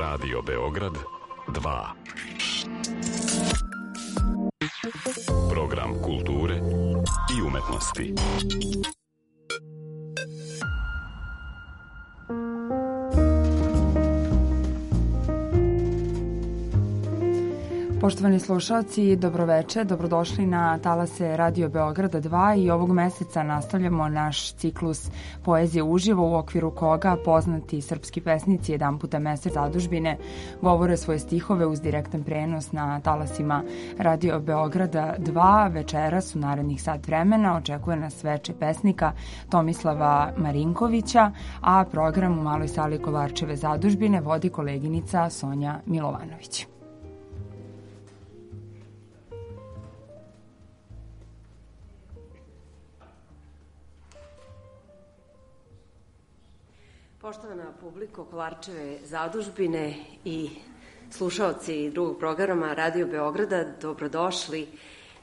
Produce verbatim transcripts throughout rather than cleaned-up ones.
Radio Beograd dva. Program kulture i umetnosti. Poštovani slušalci, dobroveče, dobrodošli na talase Radio Beograda dva i ovog meseca nastavljamo naš ciklus Poezije uživo u okviru koga poznati srpski pesnici jedan puta mesec zadužbine govore svoje stihove uz direktan prenos na talasima Radio Beograda dva. Večeras u narednih sat vremena očekuje nas veče pesnika Tomislava Marinkovića, a program u maloj sali Kolarčeve zadužbine vodi koleginica Sonja Milovanović. Poštovana publiko Kolarčeve zadužbine i slušaoci drugog programa Radio Beograda, dobrodošli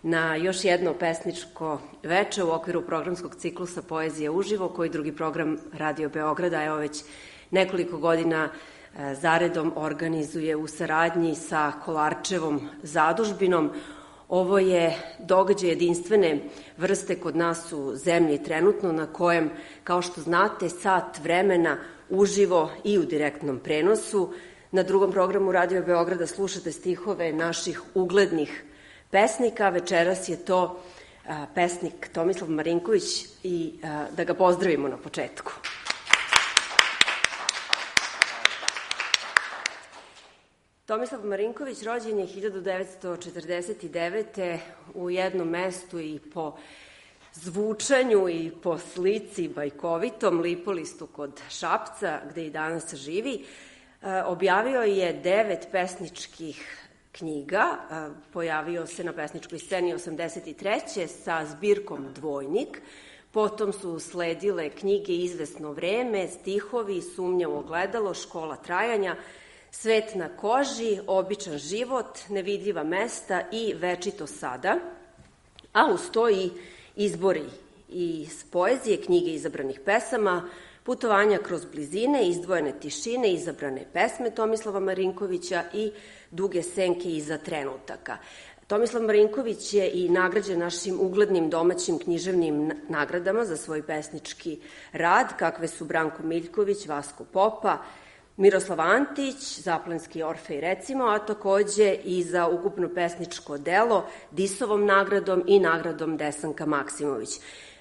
na još jedno pesničko veče u okviru programskog ciklusa Poezija uživo, koji drugi program Radio Beograda evo već nekoliko godina zaredom organizuje u saradnji sa Kolarčevom zadužbinom. Ovo je događaj jedinstvene vrste kod nas u zemlji trenutno, na kojem, kao što znate, sat vremena uživo i u direktnom prenosu. Na drugom programu Radio Beograda slušate stihove naših uglednih pesnika. Večeras je to a, pesnik Tomislav Marinković i a, da ga pozdravimo na početku. Tomislav Marinković rođen je hiljadu devetsto četrdeset devete. u jednom mestu i po zvučanju i po slici bajkovitom, Lipolistu kod Šapca, gde i danas živi. Objavio je devet pesničkih knjiga, pojavio se na pesničkoj sceni osamdeset treće sa zbirkom Dvojnik, potom su usledile knjige Izvesno vreme, Stihovi, Sumnjavo ogledalo, Škola trajanja, Svet na koži, Običan život, Nevidljiva mesta i Večito sada, a uz to i izbori iz poezije, knjige izabranih pesama, Putovanja kroz blizine, Izdvojene tišine, izabrane pesme Tomislava Marinkovića i Duge senke iza trenutaka. Tomislav Marinković je i nagrađen našim uglednim domaćim književnim nagradama za svoj pesnički rad, kakve su Branko Miljković, Vasko Popa, Miroslav Antić, Zaplenski Orfej recimo, a takođe i za ukupno pesničko delo Disovom nagradom i nagradom Desanka Maksimović.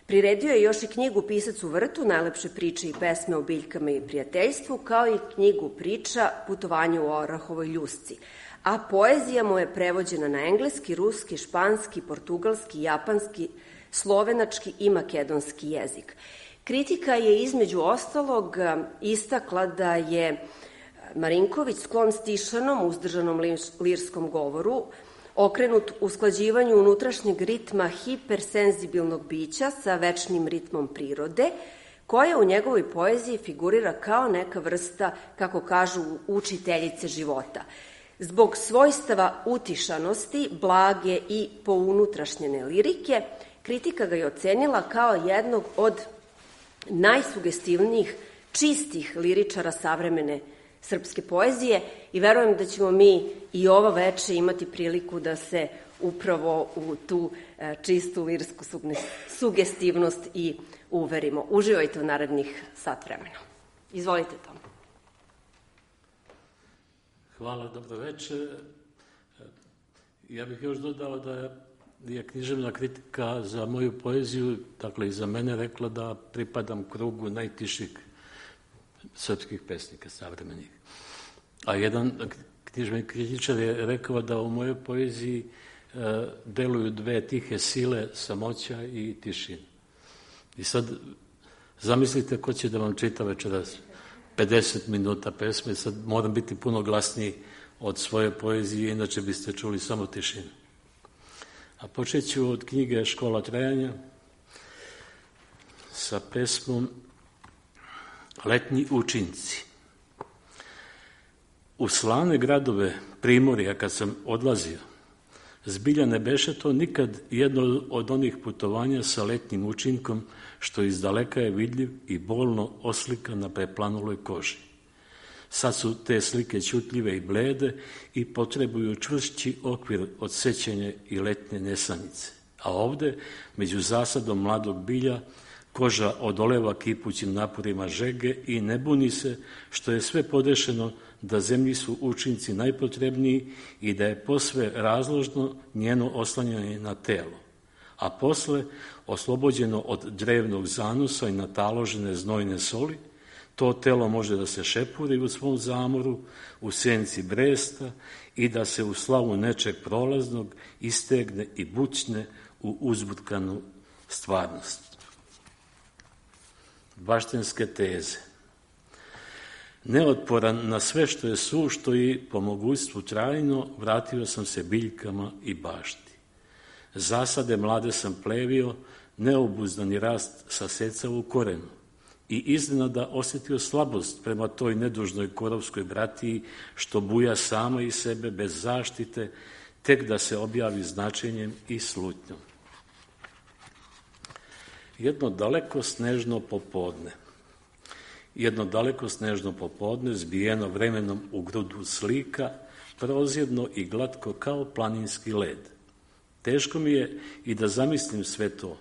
Priredio je još i knjigu Pisac u vrtu, najlepše priče i pesme o biljkama i prijateljstvu, kao i knjigu priča Putovanje u Orahovoj ljusci. A poezija mu je prevođena na engleski, ruski, španski, portugalski, japanski, slovenački i makedonski jezik. Kritika je između ostalog istakla da je Marinković sklon stišanom, uzdržanom lirskom govoru, okrenut usklađivanju unutrašnjeg ritma hipersenzibilnog bića sa večnim ritmom prirode, koja u njegovoj poeziji figurira kao neka vrsta, kako kažu, učiteljice života. Zbog svojstava utišanosti, blage i pounutrašnjene lirike, kritika ga je ocenila kao jednog od najsugestivnijih, čistih liričara savremene srpske poezije i verujem da ćemo mi i ovo veče imati priliku da se upravo u tu čistu lirsku sugestivnost i uverimo. Uživajte u narednih sat vremena. Izvolite, Tom. Hvala, dobro večer. Ja bih još dodao da je književna kritika za moju poeziju, dakle i za mene, rekla da pripadam krugu najtiših srpskih pesnika savremenih. A jedan književni kritičar je rekao da u mojoj poeziji e, deluju dve tihe sile, samoća i tišina. I sad zamislite ko će da vam čita večeras pedeset minuta pesme, sad moram biti puno glasniji od svoje poezije, inače biste čuli samo tišinu. A počet ću od knjige Škola trajanja sa pesmom Letnji učinci. U slavne gradove Primorja kad sam odlazio, zbilja ne beše to nikad jedno od onih putovanja sa letnjim učinkom što iz daleka je vidljiv i bolno oslika na preplanuloj koži. Sad su te slike ćutljive i blede i potrebuju čvršći okvir od sećanja i letnje nesanice. A ovde, među zasadom mladog bilja, koža odoleva kipućim naporima žege i ne buni se što je sve podešeno da zemlji su učinci najpotrebniji i da je posve razložno njeno oslanjanje na telo, a posle, oslobođeno od drevnog zanosa i nataložene znojne soli, to telo može da se šepuri u svom zamoru, u senci bresta i da se u slavu nečeg prolaznog istegne i bućne u uzbutkanu stvarnost. Baštenske teze. Neotporan na sve što je sušto i po mogućstvu trajno, vratio sam se biljkama i bašti. Zasade mlade sam plevio, neobuzdani rast sasecao u korenu i iznenada osjetio slabost prema toj nedužnoj korovskoj bratiji što buja sama iz sebe bez zaštite, tek da se objavi značenjem i slutnjom. Jedno daleko snežno popodne. Jedno daleko snežno popodne, zbijeno vremenom u grudu slika, prozirno i glatko kao planinski led. Teško mi je i da zamislim sve to.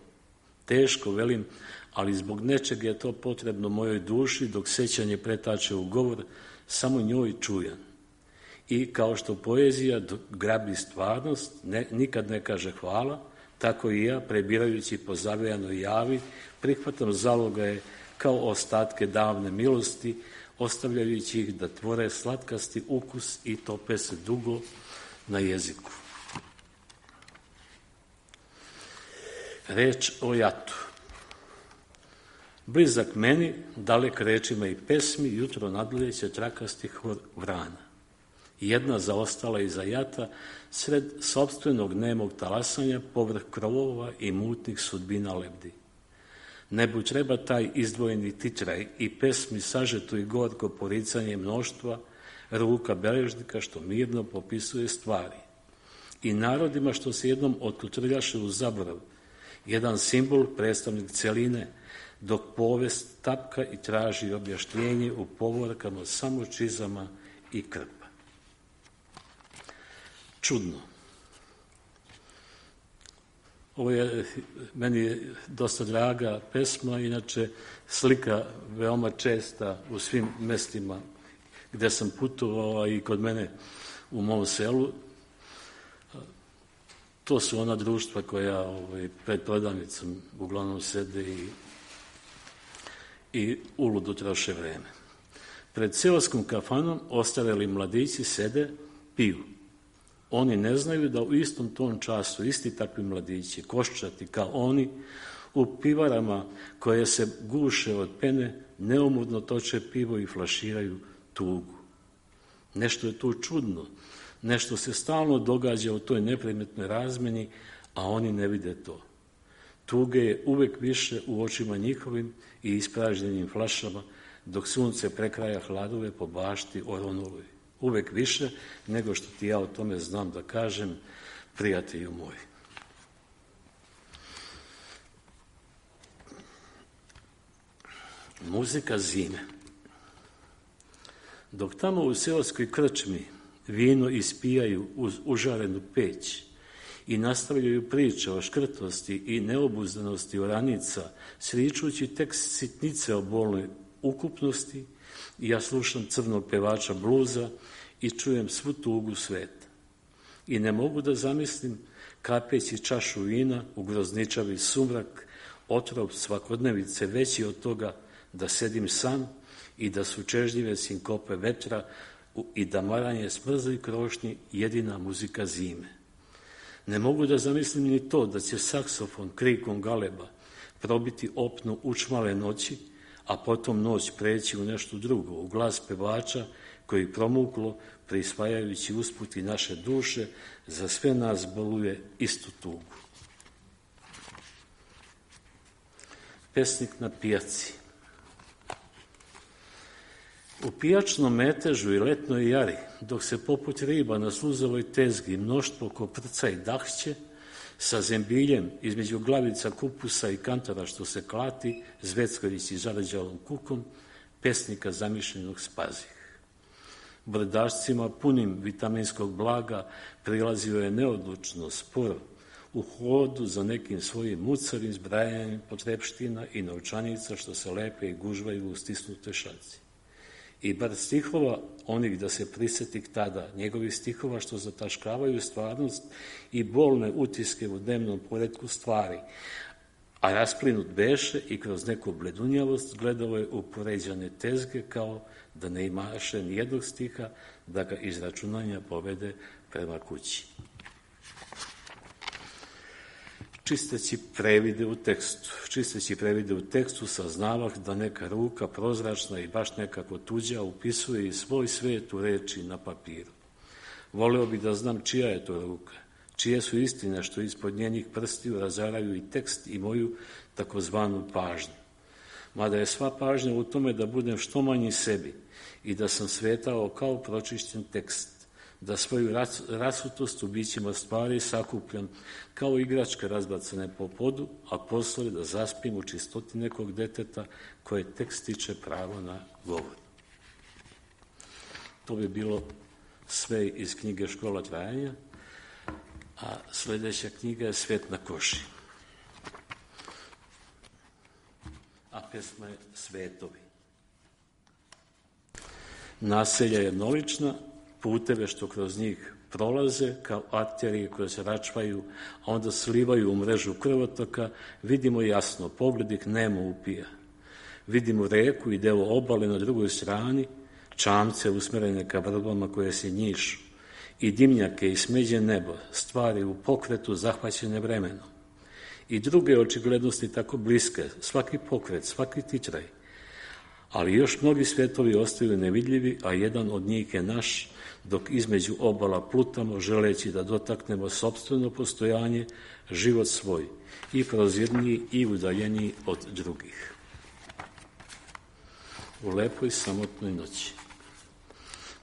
Teško, velim, ali zbog nečeg je to potrebno mojoj duši, dok sećanje pretače u govor, samo njoj čujan. I kao što poezija grabi stvarnost, ne, nikad ne kaže hvala, tako i ja, prebirajući po zavejanoj javi, prihvatam zalogaje kao ostatke davne milosti, ostavljajući ih da tvore slatkasti ukus i tope se dugo na jeziku. Reč o jatu. Blizak meni, dalek rečima i pesmi, jutro nadleće trakastih vrana. Jedna zaostala iza jata, sred sopstvenog nemog talasanja, povrh krovova i mutnih sudbina lebdi. Nebu treba taj izdvojeni titraj i pesmi sažeto i gorko poricanje mnoštva, ruka beležnika što mirno popisuje stvari. I narodima što se jednom otkutrljaše u zaborav, jedan simbol, predstavnik celine, dok povest tapka i traži objašnjenje u povorkama samo čizama i krpa. Čudno. Ovo je meni dosta draga pesma, inače slika veoma česta u svim mestima gde sam putovao i kod mene u mom selu. To su ona društva koja ovaj, pred prodavnicom uglavnom sede i, i uludo troše vreme. Pred seoskom kafanom ostareli mladići sede, piju. Oni ne znaju da u istom tom času isti takvi mladići, koščati kao oni, u pivarama koje se guše od pene, neumudno toče pivo i flaširaju tugu. Nešto je tu čudno, nešto se stalno događa u toj neprimetnoj razmeni, a oni ne vide to. Tuge je uvek više u očima njihovim i ispražnjenim flašama, dok sunce prekraja hladove po bašti oronuloj. Uvek više nego što ti ja o tome znam da kažem, prijatelju moj. Muzika zime. Dok tamo u seoskoj krčmi vino ispijaju uz užarenu peć i nastavljaju priče o škrtosti i neobuzdanosti oranica, sričući tekst sitnice o bolnoj ukupnosti, ja slušam crnog pevača bluza i čujem svu tugu sveta. I ne mogu da zamislim, kapeći čašu vina u grozničavi sumrak, otrov svakodnevice veći od toga da sedim sam i da su čežljive sinkope vetra i da maranje smrzli krošnji jedina muzika zime. Ne mogu da zamislim ni to da će saksofon krikom galeba probiti opnu učmale noći, a potom noć preći u nešto drugo, u glas pevača koji promuklo, prisvajajući usput i naše duše, za sve nas boluje istu tugu. Pesnik na pijaci. U pijačnom metežu i letnoj jari, dok se poput riba na sluzovoj tezgi mnoštvo koprca i dahće, sa zembiljem između glavica kupusa i kantara što se klati, zveckajući zarađalom kukom, pesnika zamišljenog spazih. brdašcima punim vitaminskog blaga prilazio je neodlučno, sporo, u hodu za nekim svojim mucavim zbrajanjem potrepština i novčanica što se lepe i gužvaju u stisnute šaci. I bar stihova onih da se prisjetih tada, njegovi stihova što zataškavaju stvarnost i bolne utiske u dnevnom poretku stvari, a rasplinut beše i kroz neku bledunjavost gledao je u poređane tezge kao da ne imaše nijednog stiha da ga iz računanja povede prema kući. Čisteći previde u tekstu, čisteći previde u tekstu saznavah da neka ruka prozračna i baš nekako tuđa upisuje i svoj svet u reči na papiru. Voleo bi da znam čija je to ruka, čije su istine što ispod njenih prstiju razaraju i tekst i moju takozvanu pažnju. Mada je sva pažnja u tome da budem što manji sebi i da sam svetao kao pročišćen tekst, da svoju rasutost u bićima stvari sakupljam kao igračke razbacane po podu, a posle da zaspim u čistoti nekog deteta koje tek stiče pravo na govor. To bi bilo sve iz knjige Škola trajanja, a sljedeća knjiga je Svet na koši. A pesma je Svetovi. Naselja je mnolična, puteve što kroz njih prolaze kao arterije koje se račvaju, a onda slivaju u mrežu krvotoka, vidimo jasno, pogled ih nemo upija. Vidimo reku i deo obale na drugoj strani, čamce usmerene ka vrbama koje se njišu, i dimnjake i smeđe nebo, stvari u pokretu zahvaćene vremenom. I druge očiglednosti tako bliske, svaki pokret, svaki titraj. Ali još mnogi svjetovi ostaju nevidljivi, a jedan od njih je naš, dok između obala plutamo, želeći da dotaknemo sopstveno postojanje, život svoj, i prozirniji i udaljeniji od drugih. U lepoj samotnoj noći.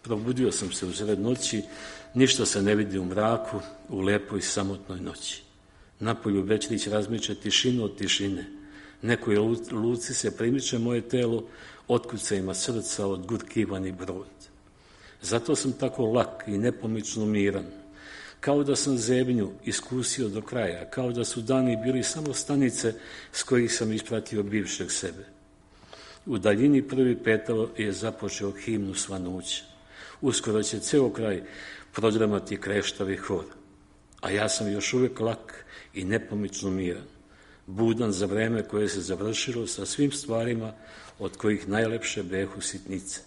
Probudio sam se usred noći, ništa se ne vidi u mraku, u lepoj samotnoj noći. Napolju Večrić razmiče tišinu od tišine. Nekoj luci se primiče moje telo, otkucajima srca od gurkivani brod. Zato sam tako lak i nepomično miran, kao da sam zebnju iskusio do kraja, kao da su dani bili samo stanice s kojih sam ispratio bivšeg sebe. U daljini prvi petao je započeo himnu svanuća. Uskoro će ceo kraj prodramati kreštavi hor, a ja sam još uvijek lak i nepomično miran, budan za vreme koje se završilo sa svim stvarima od kojih najlepše behu sitnice.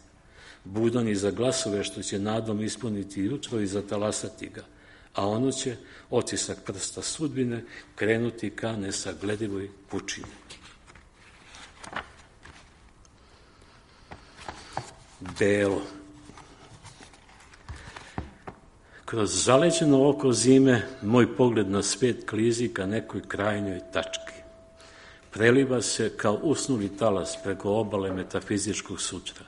Budan i za glasove što će nadom ispuniti jutro i zatalasati ga, a ono će, otisak prsta sudbine, krenuti ka nesagledivoj pučini. Belo. Kroz zaleđeno oko zime moj pogled na svet klizi ka nekoj krajnjoj tački. Preliva se kao usnuli talas preko obale metafizičkog sutra.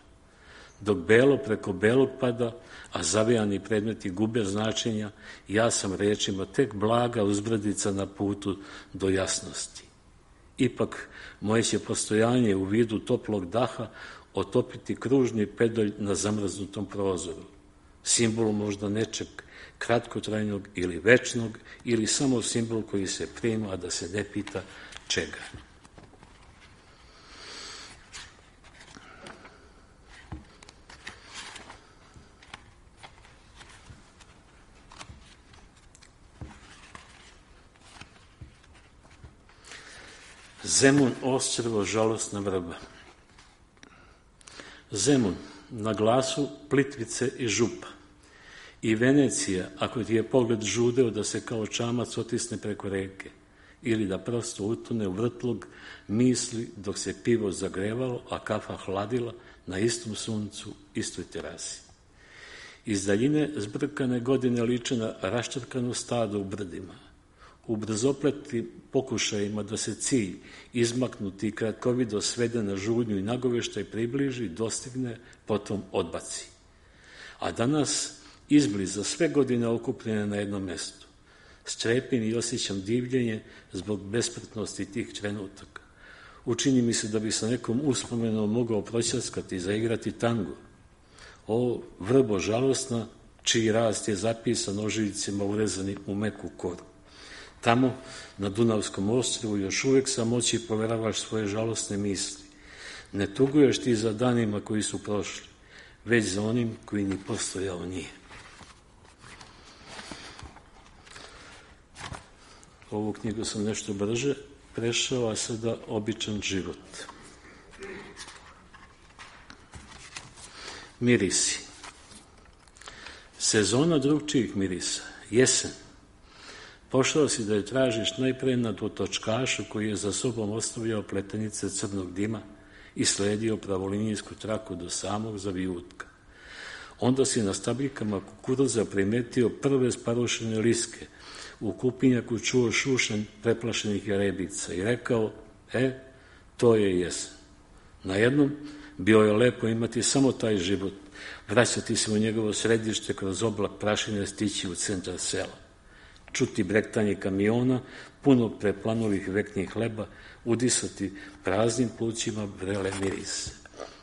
Dok belo preko belog pada, a zavijani predmeti gube značenja, ja sam rečima tek blaga uzbrdica na putu do jasnosti. Ipak, moje će postojanje u vidu toplog daha otopiti kružni pedalj na zamrznutom prozoru. Simbol možda nečeg kratkotrajnog ili večnog, ili samo simbol koji se prima, a da se ne pita čega. Zemun ostrvo, žalosna vrba. Zemun, na glasu Plitvice i Župa. I Venecija, ako ti je pogled žudeo da se kao čamac otisne preko reke, ili da prosto utone u vrtlog misli dok se pivo zagrevalo, a kafa hladila na istom suncu, istoj terasi. Iz daljine zbrkane godine liče na raštrkano stado u brdima. U brzopletim pokušajima da se cilj izmaknuti i kratkovido svede na žudnju i nagoveštaj približi, dostigne, potom odbaci. A danas izbliza sve godine okupljene na jednom mestu. Strepim i osjećam divljenje zbog bespretnosti tih trenutaka. Učini mi se da bi sa nekom uspomenom mogao proćaskati i zaigrati tango. O vrbo žalosna, čiji rast je zapisan ožiljcima urezani u meku koru. Tamo, na Dunavskom ostrvu, još uvek samoći poveravaš svoje žalosne misli. Ne tuguješ ti za danima koji su prošli, već za onim koji ni postojao nije. Ovu knjigu sam nešto brže prešao, a sada običan život. Mirisi. Sezona drugčijih mirisa, jesen. Pošao si da je tražiš najpre na točkašu koji je za sobom ostavljao pletenice crnog dima i sledio pravolinijsku traku do samog zavijutka. Onda si na stabljikama kukuruza primetio prve sparušene liske, u kupinjaku čuo šušen preplašenih jarebica i rekao, e, to je jesen. Najednom bio je lepo imati samo taj život, vraćati se u njegovo središte kroz oblak prašine, stići u centar sela, čuti brektanje kamiona, puno preplanulih veknih hleba, udisati praznim plućima vrele mirise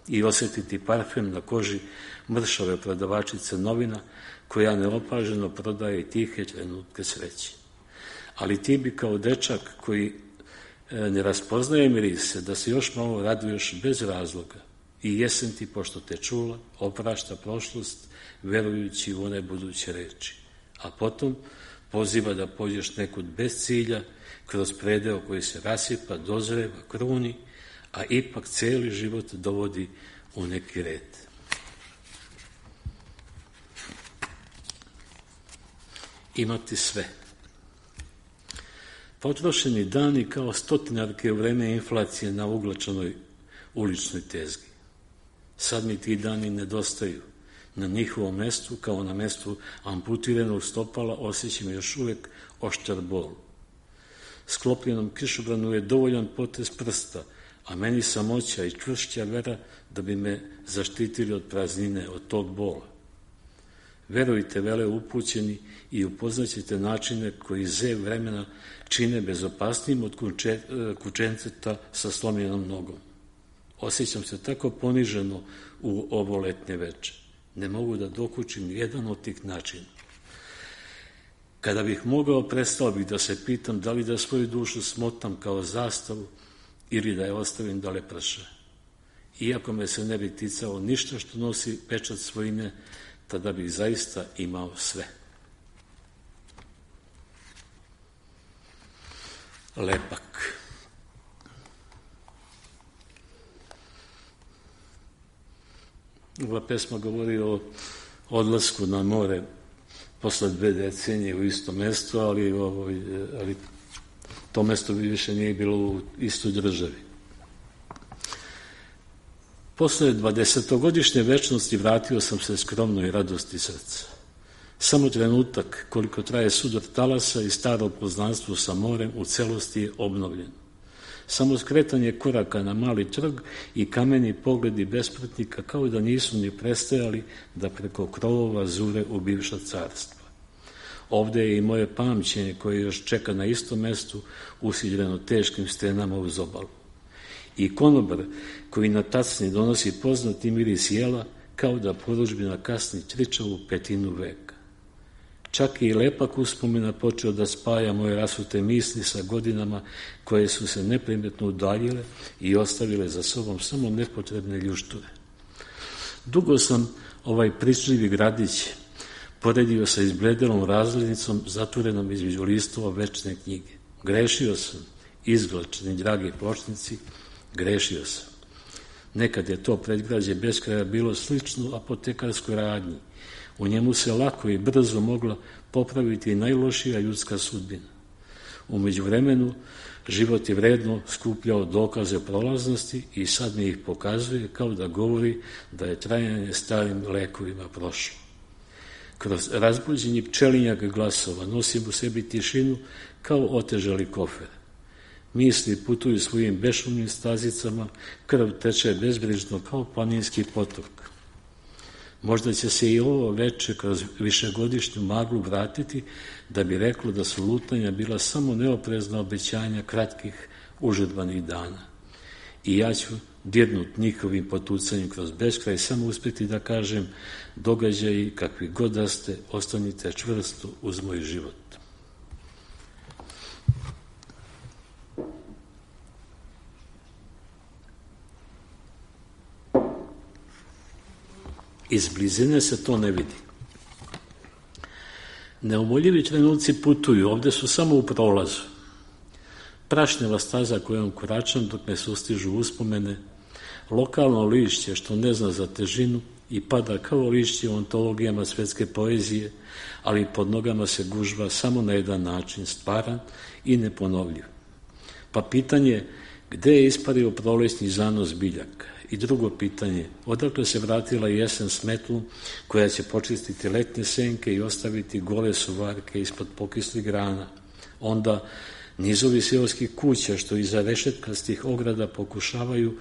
i osjetiti parfem na koži mršave prodavačice novina koja neopaženo prodaje tihe trenutke sreće. Ali ti bi kao dečak koji ne raspoznaje mirise, da se još malo raduješ bez razloga i jesen ti, pošto te čula, oprašta prošlost, verujući u one buduće reči. A potom poziva da pođeš nekud bez cilja, kroz predeo koji se rasipa, dozreva, kruni, a ipak cijeli život dovodi u neki red. Imati sve. Potrošeni dani kao stotinarke u vreme inflacije na uglačanoj uličnoj tezgi. Sad mi ti dani nedostaju. Na njihovom mestu, kao na mestu amputiranog stopala, osjećam još uvek oštar bol. Sklopljenom kišobranu je dovoljan potez prsta, a meni samoća i čvršća vera da bi me zaštitili od praznine, od tog bola. Verujte, vele upućeni, i upoznaćete načine koji zev vremena čine bezopasnijim od kuče, kučenceta sa slomljenom nogom. Osjećam se tako poniženo u ovo letnje veče. Ne mogu da dokučim jedan od tih načina. Kada bih mogao, prestao bih da se pitam da li da svoju dušu smotam kao zastavu ili da je ostavim da leprša. Iako me se ne bi ticalo ništa što nosi pečat svojine, tada bih zaista imao sve. Lepak. Ova pesma govori o odlasku na more posle dve decenije u isto mesto, ali, ovo, ali to mesto više nije bilo u istoj državi. Posle dvadesetogodišnje večnosti vratio sam se skromnoj radosti srca. Samo trenutak koliko traje sudar talasa i staro poznanstvo sa morem u celosti je obnovljeno. Samo skretanje koraka na mali trg i kameni pogledi bespratnika kao da nisu ni prestajali da preko krovova zure u bivša carstva. Ovde je i moje pamćenje koje još čeka na istom mestu usidreno teškim stenama uz obalu. I konobar koji na tacni donosi poznati miris jela kao da porudžbina kasni tričavu petinu veka. Čak i lepak uspomena počeo da spaja moje rasute misli sa godinama koje su se neprimetno udaljile i ostavile za sobom samo nepotrebne ljušture. Dugo sam ovaj pričljivi gradić poredio sa izbledelom razglednicom zatvorenom između listova večne knjige. Grešio sam, izglačeni dragi pločnici, grešio sam. Nekad je to predgrađe bez kraja bilo slično apotekarskoj radnji. U njemu se lako i brzo mogla popraviti najlošija ljudska sudbina. U međuvremenu život je vredno skupljao dokaze prolaznosti i sad mi ih pokazuje kao da govori da je trajanje starim lekovima prošlo. Kroz razbuđenje pčelinjak glasova nosim u sebi tišinu kao otežali kofer. Misli putuju svojim bešumnim stazicama, krv teče bezbrižno kao planinski potok. Možda će se i ovo veče kroz višegodišnju maglu vratiti da bi reklo da su lutanja bila samo neoprezna obećanja kratkih užurbanih dana. I ja ću dirnut njihovim potucanjem kroz beskraj, samo uspjeti da kažem, događaji kakvi god da ste, ostanite čvrsto uz moj život. Iz blizine se to ne vidi. Neumoljivi trenuci putuju, ovdje su samo u prolazu. Prašnjava staza kojom koračam dok ne sustižu uspomene, lokalno lišće što ne zna za težinu i pada kao lišće u ontologijama svetske poezije, ali pod nogama se gužva samo na jedan način, stvaran i neponovljiv. Pa pitanje, gde je ispario prolećni zanos biljaka? I drugo pitanje, odakle se vratila jesen s metlom koja će počistiti letnje senke i ostaviti gole suvarke ispod pokislih grana? Onda nizovi seoskih kuća što iza rešetkastih ograda pokušavaju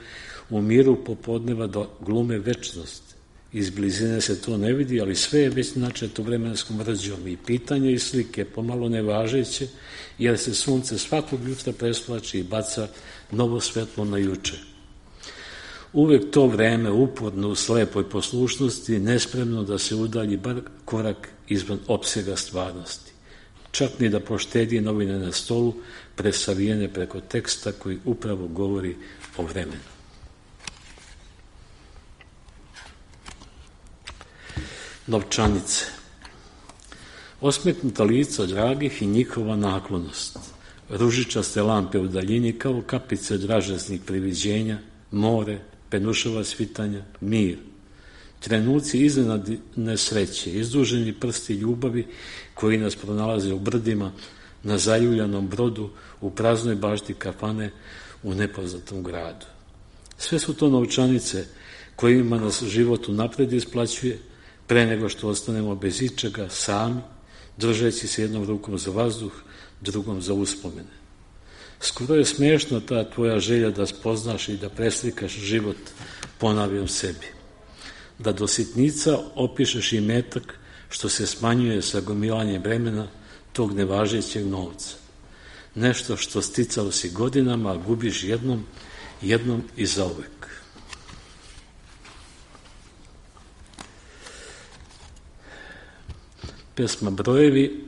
u miru popodneva da glume večnost. Iz blizine se to ne vidi, ali sve je već načeto vremenskom rđom i pitanje i slike pomalo nevažeće, jer se sunce svakog jutra presvlači i baca novo svetlo na juče. Uvek to vreme uporno u slepoj poslušnosti, nespremno da se udalji bar korak izvan opsega stvarnosti. Čak ni da poštedi novine na stolu, presavijene preko teksta koji upravo govori o vremenu. Novčanice. Osmetnuta lica dragih i njihova naklonost. Ružičaste lampe u daljini kao kapice dražesnih priviđenja, more, penušava svitanja, mir. Trenuci iznenadne sreće, izduženi prsti ljubavi koji nas pronalaze u brdima, na zaljuljanom brodu, u praznoj bašti kafane, u nepoznatom gradu. Sve su to novčanice kojima nas život unapred isplaćuje, pre nego što ostanemo bez ičega, sami, držeći se jednom rukom za vazduh, drugom za uspomene. Skoro je smešna ta tvoja želja da spoznaš i da preslikaš život, ponavljam sebi. Da do sitnica opišeš i metak što se smanjuje sa gomilanjem vremena tog nevažećeg novca. Nešto što sticao si godinama, a gubiš jednom, jednom i zauvek. Pesma Brojevi,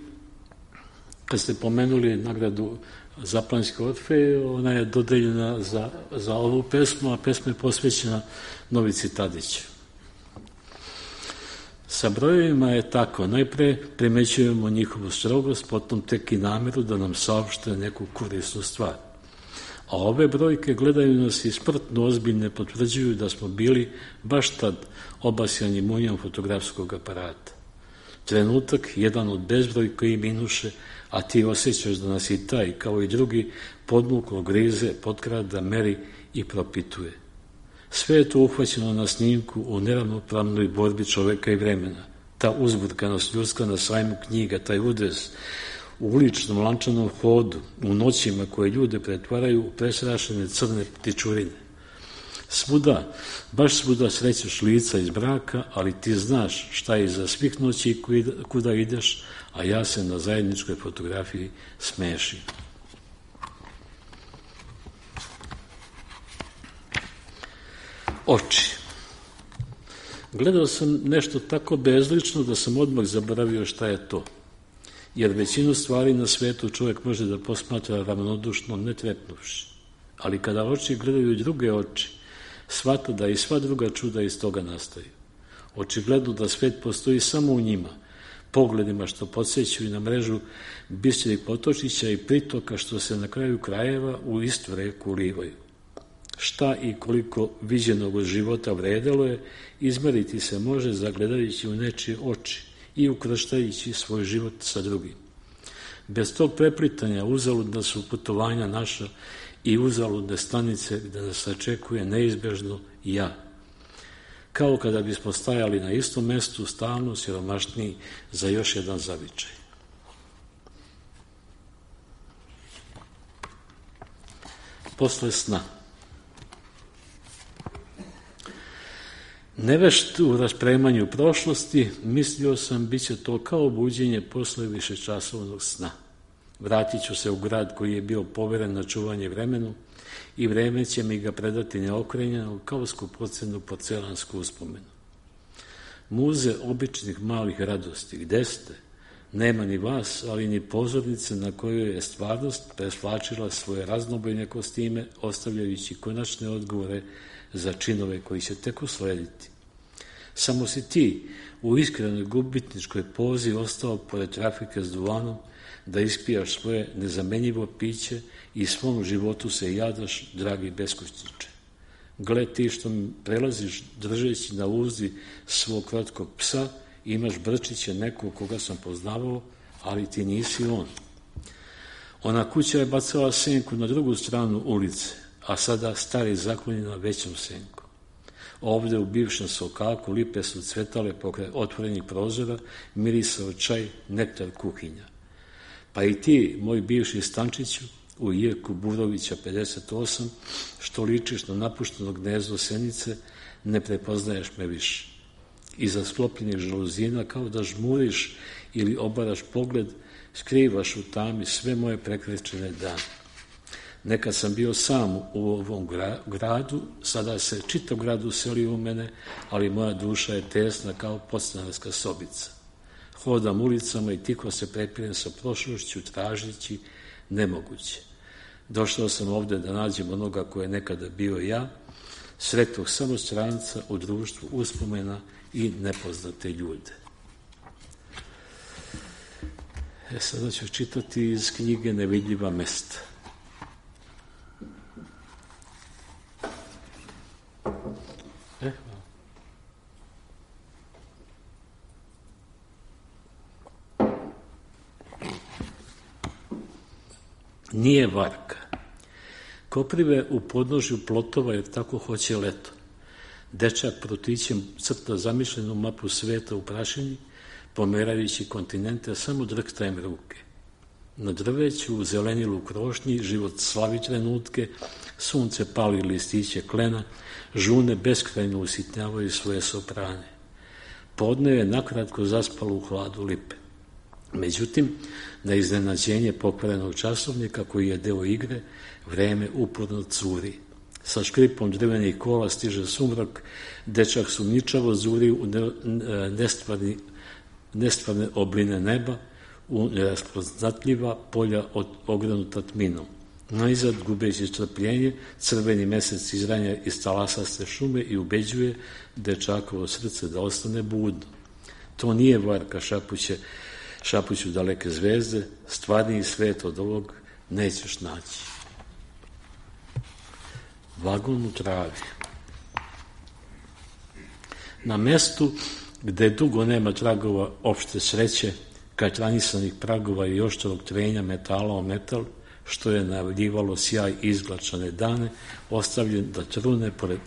kad ste pomenuli nagradu Zaplanjske Orfeje, ona je dodeljena za, za ovu pesmu, a pesma je posvećena Novici Tadiću. Sa brojevima je tako, najpre primećujemo njihovu strogost, potom tek i nameru da nam saopšte neku korisnu stvar. A ove brojke gledaju nas i smrtno ozbiljne potvrđuju da smo bili baš tad obasjani munjom fotografskog aparata. Trenutak, jedan od bezbroj koji minuše, a ti osjećaš da nas i taj, kao i drugi, podmuklo grize, potkrada, meri i propituje. Sve je to uhvaćeno na snimku u neravnopravnoj borbi čoveka i vremena. Ta uzburkanost ljudska na sajmu knjiga, taj udez u uličnom lančanom hodu, u noćima koje ljude pretvaraju u presrašene crne ptičurine. Svuda, baš svuda srećeš lica iz braka, ali ti znaš šta je iza svih noći i kuda ideš, a ja se na zajedničkoj fotografiji smešim. Oči. Gledao sam nešto tako bezlično da sam odmah zaboravio šta je to, jer većinu stvari na svetu čovjek može da posmatra ravnodušno, ne trepnuvši. Ali kada oči gledaju druge oči, shvata da i sva druga čuda iz toga nastaju. Očigledno da svet postoji samo u njima, pogledima što podsjećaju na mrežu bistrih potočića i pritoka što se na kraju krajeva u istu reku ulivaju. Šta i koliko viđenog od života vredelo je, izmeriti se može zagledajući u nečije oči i ukrštajući svoj život sa drugim. Bez tog preplitanja uzaludna su putovanja naša i uzaludne stanice gde nas sačekuje neizbežno ja. Kao kada bismo stajali na istom mestu, stalno siromašniji za još jedan zavičaj. Posle sna. Nevešt u raspremanju prošlosti, mislio sam, bit će to kao buđenje posle višečasovnog sna. Vratit ću se u grad koji je bio poveren na čuvanje vremenu, i vreme će mi ga predati neokrenjeno kao skupocenu porcelansku uspomenu. Muze običnih malih radosti, gde ste? Nema ni vas, ali ni pozornice na kojoj je stvarnost presvlačila svoje raznobojne kostime, ostavljajući konačne odgovore za činove koji će tek uslediti. Samo si ti u iskrenoj gubitničkoj pozi ostao pored trafike s duvanom da ispijaš svoje nezamenjivo piće i svom životu se jadaš, dragi beskućniče. Gle ti što mi prelaziš držeći na uzdi svog kratkog psa, imaš brčiće nekog koga sam poznavao, ali ti nisi on. Ona kuća je bacala senku na drugu stranu ulice, a sada stari zakloni na većom senku. Ovde u bivšem sokaku lipe su cvetale pokraj otvorenih prozora, mirisao čaj, nektar kuhinja. Pa i ti, moj bivši Stančiću, u Jirku Burovića pedeset osam, što ličiš na napušteno gnezdo senice, ne prepoznaješ me više. Iza sklopljenih žaluzina kao da žmuriš ili obaraš pogled, skrivaš u tami sve moje prekrečene dane. Nekad sam bio sam u ovom gradu, sada se čitav grad uselio u mene, ali moja duša je tesna kao podstanarska sobica. Hodam ulicama i tiho se prepirem sa prošlošću, tražići nemoguće. Došao sam ovde da nađem onoga koje je nekada bio ja, sretog samo stranca u društvu uspomena i nepoznate ljude. E, sada ću čitati iz knjige Nevidljiva mesta. E, hvala. Nije varka. Koprive u podnožju plotova jer tako hoće leto. Dečak protićem crta zamišljenu mapu sveta u prašini, pomerajući kontinente, samo drhtajem ruke. Na drveću, u zelenilu krošnji, život slavi trenutke, sunce pali listiće klena, žune beskrajno usitnjavaju svoje soprane. Podne je nakratko zaspalo u hladu lipe. Međutim, na iznenađenje pokvarenog časovnika koji je deo igre, vreme uporno curi. Sa škripom drvenih kola stiže sumrak, dečak sumničavo zuri u nestvarni, nestvarne obline neba, u neraspoznatljiva polja od ogranuta tminom. Najzad, gubeći strpljenje, crveni mesec izranja iz talasaste šume i ubeđuje dečakovo srce da ostane budno. To nije varka, šapuće, šapuću daleke zvezde, stvarniji svet od ovog nećeš naći. Vagon u travi. Na mestu gde dugo nema tragova opšte sreće, katranisanih pragova i oštrog trenja metala o metal, što je najavljivalo sjaj izglačane dane, ostavljen da trune pored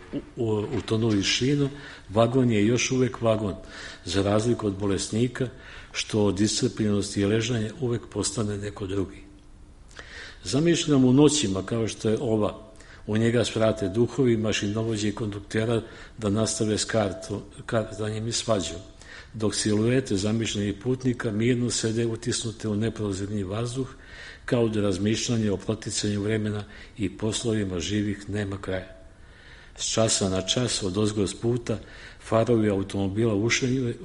utonulih šina, vagon je još uvek vagon, za razliku od bolesnika, što od iscrpljenosti i ležanja uvek postane neko drugi. Zamišljam u noćima kao što je ova, u njega svrate duhovi, mašinovođe i konduktera da nastave s karto, kartanjem i svađom, dok siluete zamišljenih putnika mirno sede utisnute u neprozirni vazduh, kao da razmišljanje o proticanju vremena i poslovima živih nema kraja. S časa na čas od ozgo s puta farovi automobila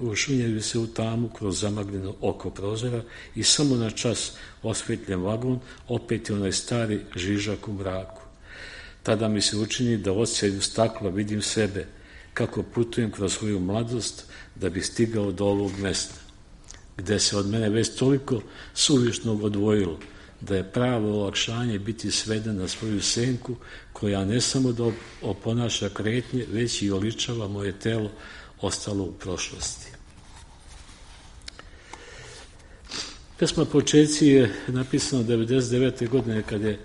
ušunjaju se u tamu kroz zamagljeno oko prozora i samo na čas osvetljen vagon opet je onaj stari žižak u mraku. Tada mi se učini da odsjaju stakla vidim sebe, kako putujem kroz svoju mladost da bih stigao do ovog mesta, gde se od mene već toliko suvišnog odvojilo, da je pravo olakšanje biti sveden na svoju senku, koja ne samo da oponaša kretnje, već i oličava moje telo ostalo u prošlosti. Pesma Počeci je napisana devedeset devete godine kad je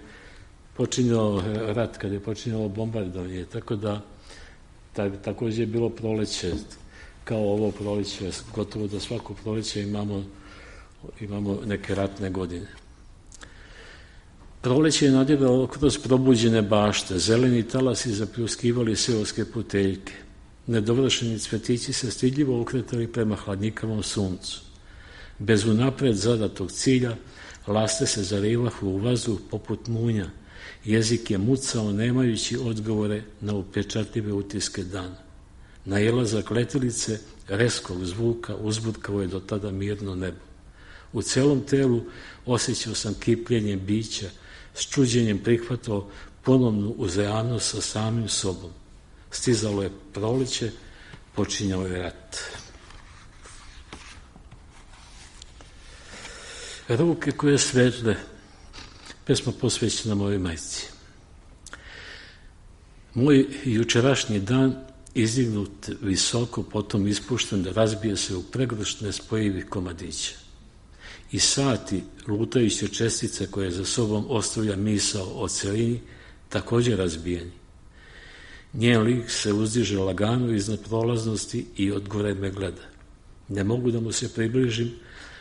počinjao rat, kad je počinjalo bombardovanje, tako da takođe je bilo proleće, kao ovo proleće, gotovo da svako proleće imamo, imamo neke ratne godine. Proleće je nadiralo kroz probuđene bašte, zeleni talasi zapljuskivali seoske puteljke. Nedovršeni cvetići se stidljivo okretali prema hladnikavom suncu. Bez unapred zadatog cilja, laste se zarivahu u vazduh poput munja Jezik je mucao nemajući odgovore na upečatljive utiske dana. Najelazak letilice reskog zvuka uzburkao je do tada mirno nebo. U celom telu osjećao sam kipljenje bića, s čuđenjem prihvatao ponovnu uzajamnost sa samim sobom. Stizalo je proleće, počinjao je rat. Ruke koje svetle, pesma posvećena mojoj majci. Moj jučerašnji dan izdignut visoko, potom ispušten, da razbije se u pregršt nespojivih komadića. I sati lutajuće čestice koje za sobom ostavlja misao o celini, također razbijeni. Njen lik se uzdiže lagano iznad prolaznosti i od gore me gleda. Ne mogu da mu se približim,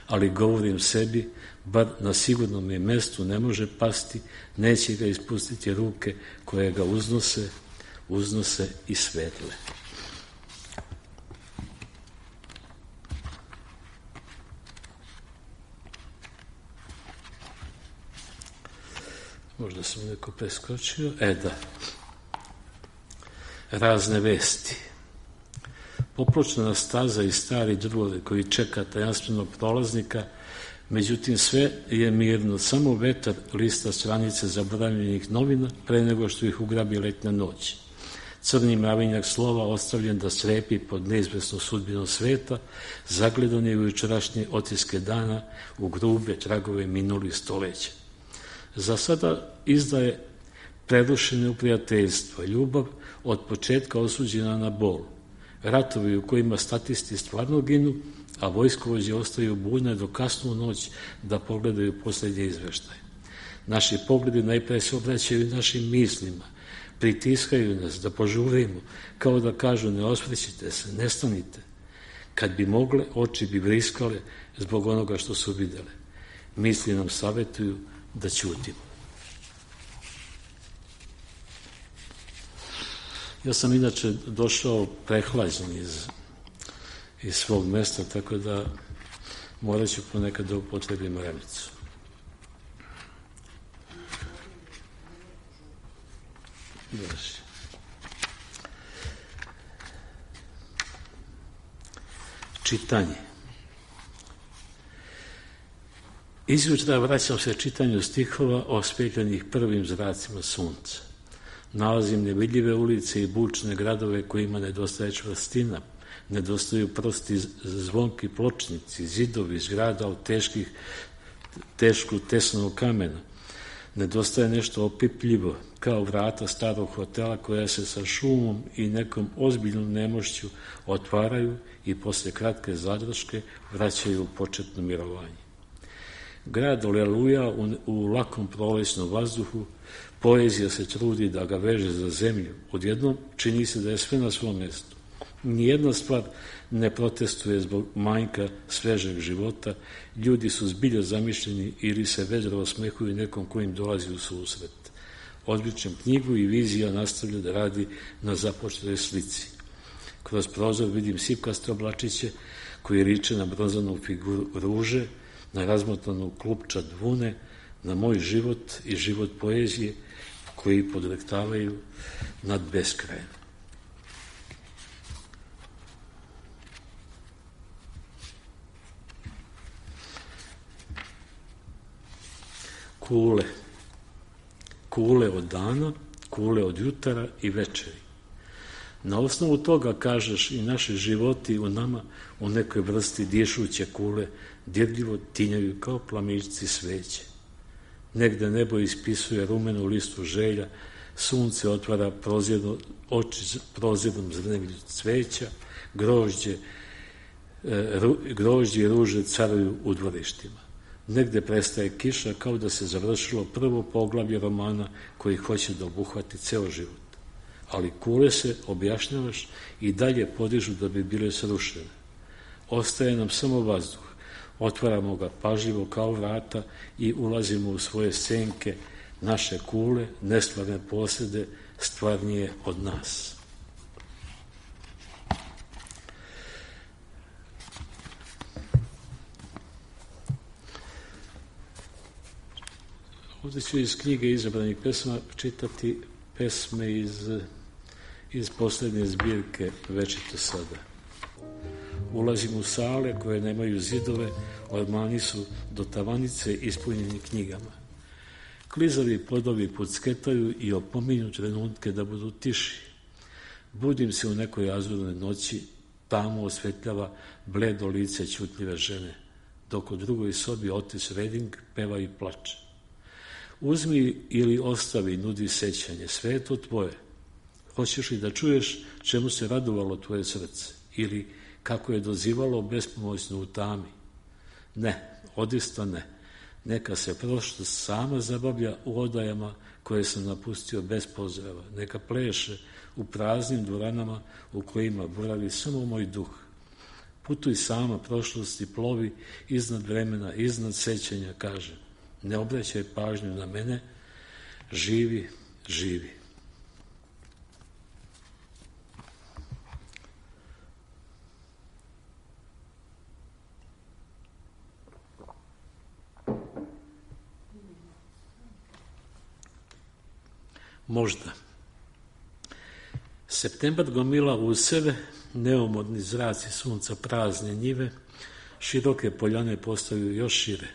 ali govorim sebi, bar na sigurnom je mestu ne može pasti, neće ga ispustiti ruke koje ga uznose, uznose i svetle. Možda sam neko preskočio. E da. Razne vesti. Popločna staza i stari drvovi koji čeka tajanstvenog prolaznika, međutim sve je mirno, samo vetar lista stranice zaboravljenih novina pre nego što ih ugrabi letnja noć. Crni mravinjak slova ostavljen da strepi pod neizvesnom sudbinom sveta, zagledan je u jučerašnje otiske dana u grube tragove minulih stoleća. Za sada izdaje prerušene u prijateljstvo, ljubav od početka osuđena na bol, ratovi u kojima statisti stvarno ginu, a vojskovođe ostaju budne do kasnu noć da pogledaju posljednje izveštaje. Naši pogledi najpre se obraćaju našim mislima, pritiskaju nas da požurimo, kao da kažu ne osvrćite se, ne stanite. Kad bi mogle, oči bi vriskale zbog onoga što su videle. Misli nam savetuju da ćutimo. Ja sam inače došao prehlađen iz, iz svog mesta, tako da morat ću ponekad da upotrebim remicu. Još. Čitanje. Izjutra vraćam se čitanju stihova ospetljenih prvim zracima sunca. Nalazim nevidljive ulice i bučne gradove kojima nedostaje čvrstina, nedostaju prosti zvonki pločnici, zidovi zgrada od teških, tešku tesnog kamena. Nedostaje nešto opipljivo, kao vrata starog hotela koja se sa šumom i nekom ozbiljnom nemošću otvaraju i posle kratke zadrške vraćaju u početno mirovanje. Grad oleluja u, u lakom prolećnom vazduhu, poezija se trudi da ga veže za zemlju. Odjednom čini se da je sve na svom mjestu. Nijedna stvar ne protestuje zbog manjka svežeg života, ljudi su zbilja zamišljeni ili se vedro osmehuju nekom kojim dolazi u susret. Odličem knjigu i vizija nastavlja da radi na započetoj slici. Kroz prozor vidim sipkaste oblačiće koji riče na bronzanu figuru ruže, na razmotanu klupčad vune, na moj život i život poezije koji podlektavaju nad beskrajem. Kule. Kule od dana, kule od jutara i večeri. Na osnovu toga, kažeš, i naši životi u nama u nekoj vrsti dišuće kule dirljivo tinjaju kao plamićci sveće. Negde nebo ispisuje rumenu listu želja, sunce otvara prozirno, oči prozirnom zrnevlju cveća, grožđe, e, ru, grožđe i ruže caruju u dvorištima. Negde prestaje kiša kao da se završilo prvo poglavlje romana koji hoće da obuhvati ceo život. Ali kule se, objašnjavaš, i dalje podižu da bi bile srušene. Ostaje nam samo vazduh. Otvaramo ga pažljivo kao vrata i ulazimo u svoje senke, naše kule, nestvarne posede, stvarnije od nas. Ovdje ću iz knjige izabranih pesma čitati pesme iz, iz posljednje zbirke Večito sada. Ulazim u sale koje nemaju zidove, ormani su do tavanice ispunjeni knjigama. Klizavi podovi pucketaju i opominju trenutke da budu tiši. Budim se u nekoj azurnoj noći, tamo osvetljava bledo lice ćutljive žene, dok u drugoj sobi Otis Redding peva i plače. Uzmi ili ostavi, nudi sećanje, sve je to tvoje. Hoćeš li da čuješ čemu se radovalo tvoje srce ili kako je dozivalo bespomoćno u tami? Ne, odista ne. Neka se prošlost sama zabavlja u odajama koje sam napustio bez pozdrava. Neka pleše u praznim dvoranama u kojima boravi samo moj duh. Putuj sama prošlosti, plovi iznad vremena, iznad sećanja, kaže. Ne obraćaj pažnju na mene, živi, živi. Možda. Septembar gomila u sebe, neumodni zraci sunca, prazne njive, široke poljane postaju još šire.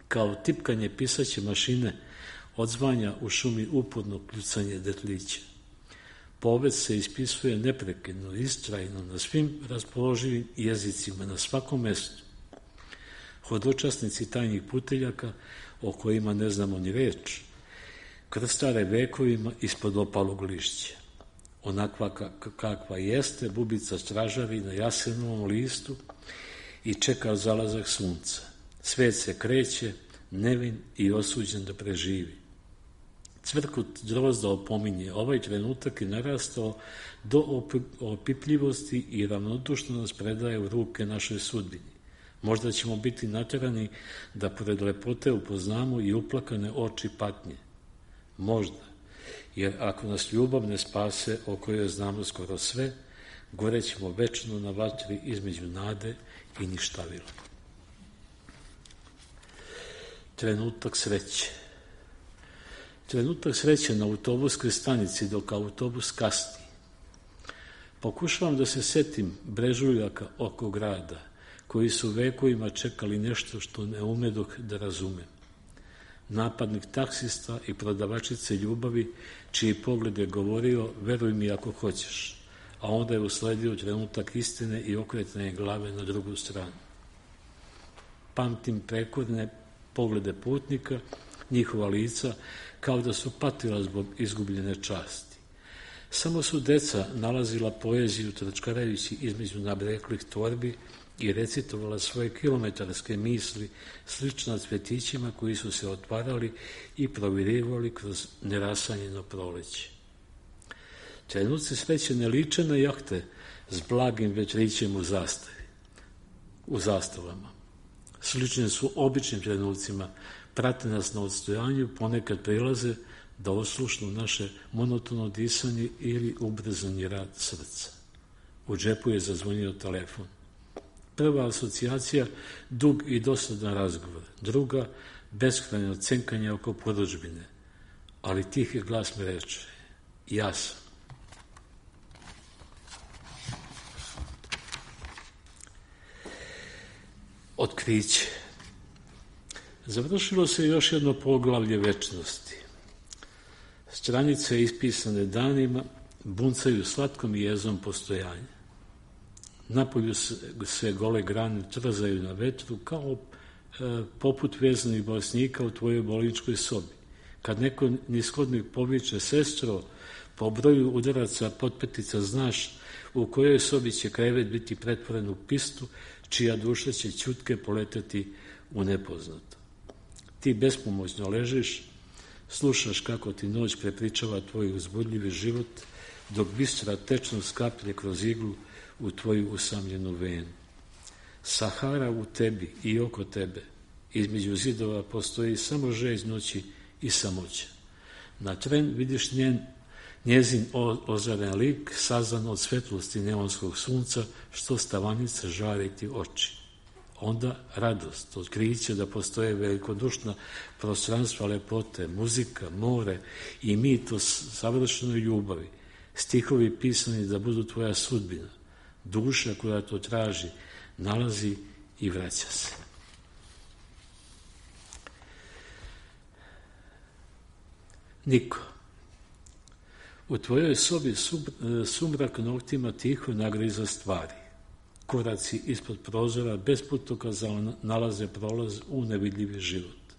Kao tipkanje pisaće mašine odzvanja u šumi upodno kljucanje detlića. Povest se ispisuje neprekidno, istrajno, na svim raspoloživim jezicima, na svakom mestu. Hodočasnici tajnih puteljaka, o kojima ne znamo ni reč, krstare vekovima ispod opalog lišća. Onakva kakva jeste, bubica stražavi na jasenovom listu i čeka zalazak sunca. Svet se kreće, nevin i osuđen da preživi. Cvrkut drozda opominje, ovaj trenutak je narastao do opipljivosti i ravnodušno nas predaje u ruke našoj sudbini. Možda ćemo biti naterani da pored lepote upoznamo i uplakane oči patnje. Možda, jer ako nas ljubav ne spase, o kojoj znamo skoro sve, gorećemo večno na vatri između nade i ništavila. Trenutak sreće. Trenutak sreće na autobuskoj stanici dok autobus kasni. Pokušavam da se setim brežuljaka oko grada, koji su vekovima čekali nešto što ne umedoh da razumem. Napadnik taksista i prodavačice ljubavi, čiji pogled je govorio, veruj mi ako hoćeš, a onda je usledio trenutak istine i okretanje glave na drugu stranu. Pamtim prekorne poglede putnika, njihova lica, kao da su patila zbog izgubljene časti. Samo su deca nalazila poeziju trčkarajući između nabreklih torbi i recitovala svoje kilometarske misli slična cvetićima koji su se otvarali i provirivali kroz nerasanjeno proleće. Trenuci sreće ne liče na jahte s blagim vetrićem u zastavi, u zastavama. Slične su običnim trenucima, prate nas na odstojanju, ponekad prilaze da oslušnu naše monotono disanje ili ubrzani rad srca. U džepu je zazvonio telefon. Prva asocijacija, dug i dosadan razgovor. Druga, beskrajno cenkanje oko porudžbine. Ali tihi glas mi reče, ja sam. Otkriće. Završilo se još jedno poglavlje večnosti. Stranice ispisane danima buncaju slatkom jezom postojanja. Napolju se, se gole grane trzaju na vetru kao e, poput vezanih bolesnika u tvojoj bolničkoj sobi. Kad neko nishodnik poviče sestro, po broju udaraca potpetica znaš u kojoj sobi će krevet biti pretvoren u pistu, čija duša će ćutke poleteti u nepoznato. Ti bespomoćno ležiš, slušaš kako ti noć prepričava tvoj uzbudljivi život, dok bistra tečnost skaplje kroz iglu u tvoju usamljenu venu. Sahara u tebi i oko tebe, između zidova postoji samo žeđ noći i samoća. Na tren vidiš njen, njezin ozaren lik, sazan od svetlosti neonskog sunca, što stavanica žari ti oči. onda radost, otkriće da postoje velikodušna prostranstva lepote, muzika, more i mit o savršenoj ljubavi, stihovi pisani da budu tvoja sudbina, duša koja to traži, nalazi i vraća se. Niko. U tvojoj sobi sumrak noktima tiho nagriza stvari. Koraci ispod prozora bez putokaza nalaze prolaz u nevidljivi život.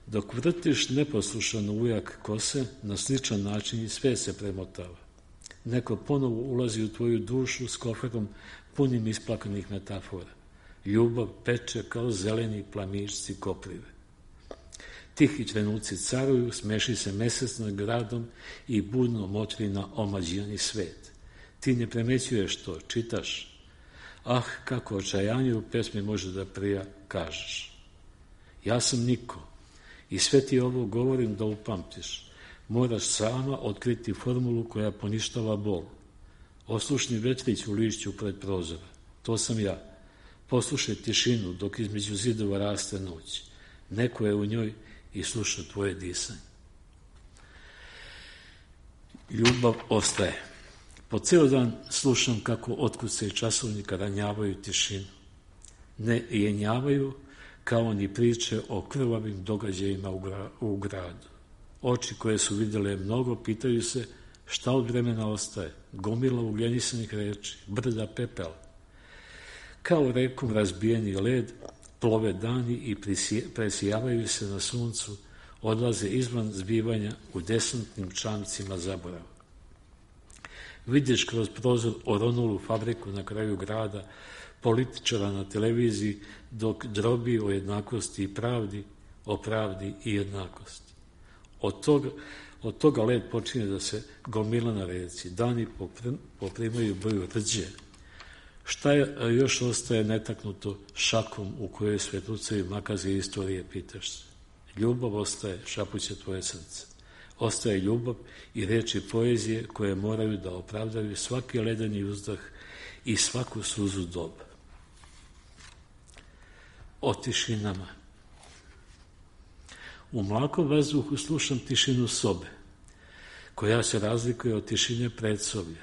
Dok vrtiš neposlušan ujak kose, na sličan način i sve se premotava. Neko ponovo ulazi u tvoju dušu s koferom punim isplakanih metafora. Ljubav peče kao zeleni plamišci koprive. Tihi trenuci caruju, smeši se mesec nad gradom i budno motri na omađijani svet. Ti ne premećuješ to, čitaš. Ah, kako očajanje u pesmi može da prija kažeš. Ja sam niko i sve ti ovo govorim da upamtiš. Moraš sama otkriti formulu koja poništava bol. Oslušni vetrić u lišću pred prozora. To sam ja. Poslušaj tišinu dok između zidova raste noć. Neko je u njoj i sluša tvoje disanje. Ljubav ostaje. Po ceo dan slušam kako otkuce časovnika ranjavaju tišinu. Ne jenjavaju kao ni priče o krvavim događajima u, gra, u gradu. Oči koje su vidjele mnogo pitaju se šta od vremena ostaje. Gomila ugljenisanih reči, brda pepela. Kao rekom razbijeni led, plove dani i presijavaju se na suncu, odlaze izvan zbivanja u desantnim čamcima zaborava. Vidiš kroz prozor oronulu fabriku na kraju grada, političara na televiziji, dok drobi o jednakosti i pravdi, o pravdi i jednakosti. Od toga, od toga led počinje da se gomila na reci, dani poprimaju boju rđe. Šta je, još ostaje netaknuto šakom u kojoj svetlucaju makaze istorije, pitaš se. Ljubav ostaje, šapuće tvoje srce. Ostaje ljubav i reči poezije koje moraju da opravdaju svaki ledeni uzdah i svaku suzu doba. O tišinama. U mlakom vazduhu slušam tišinu sobe, koja se razlikuje od tišine predsoblja,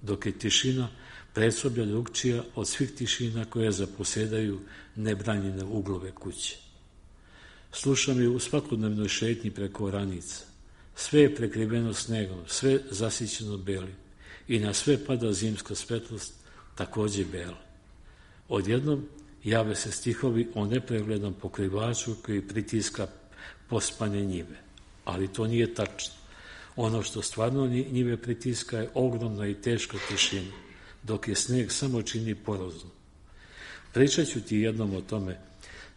dok je tišina predsoblja drugčija od svih tišina koje zaposedaju nebranjene uglove kuće. Slušam je u svakodnevnoj šetnji preko oranica. Sve je prekriveno snegom, sve zasićeno belim i na sve pada zimska svetlost, takođe bela. Odjednom jave se stihovi o nepreglednom pokrivaču koji pritiska pospane njive. Ali to nije tačno. Ono što stvarno njive pritiska je ogromna i teška tišina, dok je sneg samo čini porozno. Pričat ću ti jednom o tome.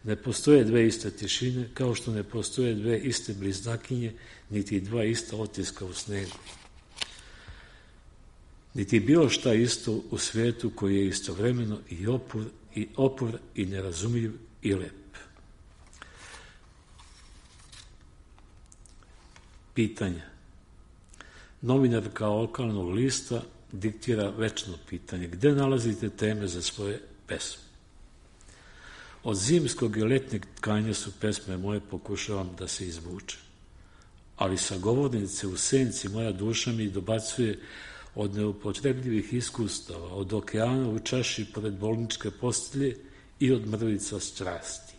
Ne postoje dve iste tišine, kao što ne postoje dve iste bliznakinje, niti dva ista otiska u snegu. Niti bilo šta isto u svetu koji je istovremeno i opor, i opor, i nerazumljiv, i lep. Pitanja. Novinarka lokalnog lista diktira večno pitanje. Gde nalazite teme za svoje pesme? Od zimskog i letnjeg tkanja su pesme moje, pokušavam da se izvučem. Ali sa govornice u senci moja duša mi dobacuje od neupotrebljivih iskustava, od okeana u čaši pored bolničke postelje i od mrvica strasti.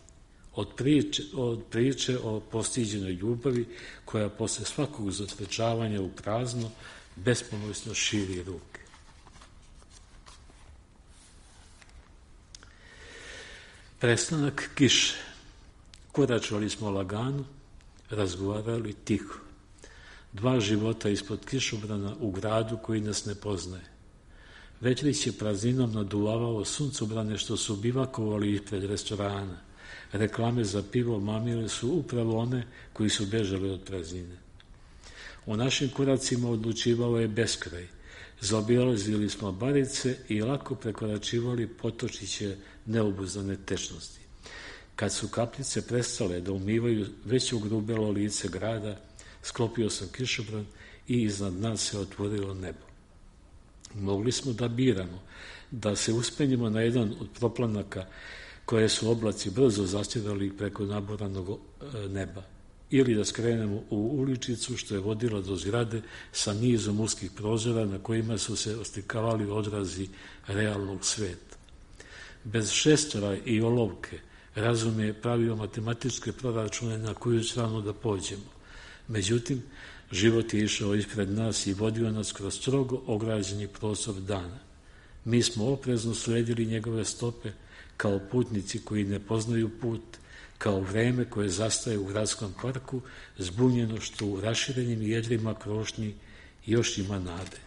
Od priče, od priče o postiđenoj ljubavi koja posle svakog zatrčavanja u prazno bespomoćno širi ruke. Prestanak kiše. Koračali smo lagano, razgovarali tiho. Dva života ispod kišobrana u gradu koji nas ne poznaje. Vetrić je prazninom naduvavao suncobrane što su bivakovali ispred restorana. Reklame za pivo mamile su upravo one koji su bežali od praznine. U našim koracima odlučivao je beskraj. Zaobilazili smo barice i lako prekoračivali potočiće neobuzdane tečnosti. Kad su kapljice prestale da umivaju već ugrubelo lice grada, sklopio sam kišobran i iznad nas se otvorilo nebo. Mogli smo da biramo, da se uspenjemo na jedan od proplanaka koje su oblaci brzo zastirali preko naboranog neba, ili da skrenemo u uličicu što je vodila do zgrade sa nizom uskih prozora na kojima su se oslikavali odrazi realnog sveta. Bez šestora i olovke razum je pravio matematičke proračune na koju stranu da pođemo. Međutim, život je išao ispred nas i vodio nas kroz strogo ograđeni prostor dana. Mi smo oprezno sledili njegove stope kao putnici koji ne poznaju put, kao vreme koje zastaje u gradskom parku, zbunjeno što u raširenim jedrima krošnji još ima nade.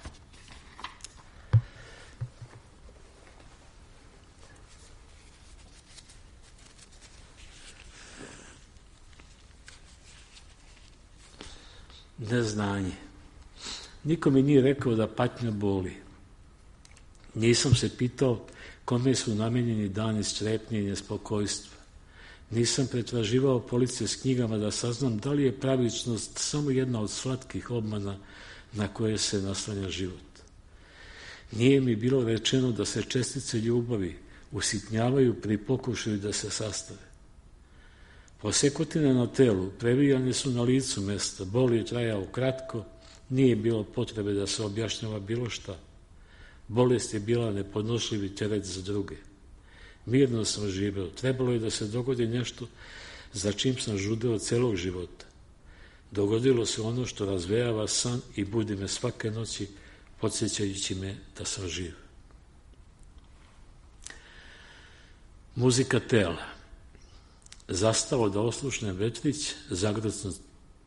Neznanje. Niko mi nije rekao da patnja boli. Nisam se pitao kome su namenjeni dani strepnje i nespokojstva. Nisam pretraživao police s knjigama da saznam da li je pravičnost samo jedna od slatkih obmana na koje se naslanja život. Nije mi bilo rečeno da se čestice ljubavi usitnjavaju pri pokušaju da se sastave. Posekotine na telu previjane su na licu mesta, bol je trajao kratko, nije bilo potrebe da se objašnjava bilo šta. Bolest je bila nepodnošljivi teret za druge. Mirno sam živeo, trebalo je da se dogodi nešto za čim sam žudeo celog života. Dogodilo se ono što razvejava san i budi me svake noći, podsjećajući me da sam živ. Muzika tela. Zastao da oslušnem vetrić, zagrocnut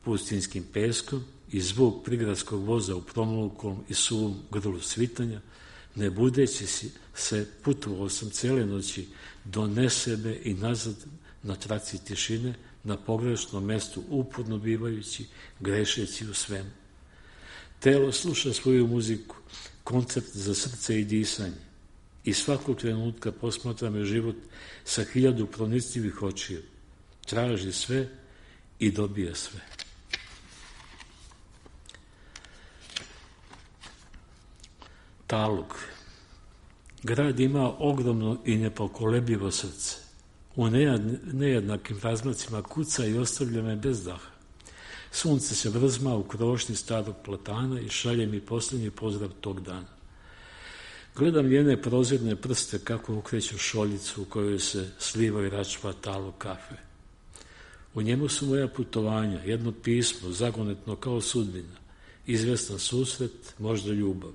pustinskim peskom i zvuk prigradskog voza u promlukom i suvom grlu svitanja, ne budeći se putovao sam cele noći do nesebe i nazad na traci tišine, na pogrešnom mestu uporno bivajući, grešeći u svemu. Telo sluša svoju muziku, koncept za srce i disanje, i svakog trenutka posmatra me život sa hiljadu pronicljivih očiju. Traži sve i dobije sve. Talog. Grad ima ogromno i nepokolebljivo srce. U nejednakim razmacima kuca i ostavlja me bez daha. Sunce se vrzma u krošnji starog platana i šalje mi posljednji pozdrav tog dana. Gledam njene prozirne prste kako ukreću šoljicu u kojoj se sliva i račva talog kafe. U njemu su moja putovanja, jedno pismo, zagonetno kao sudbina, izvestan susret, možda ljubav.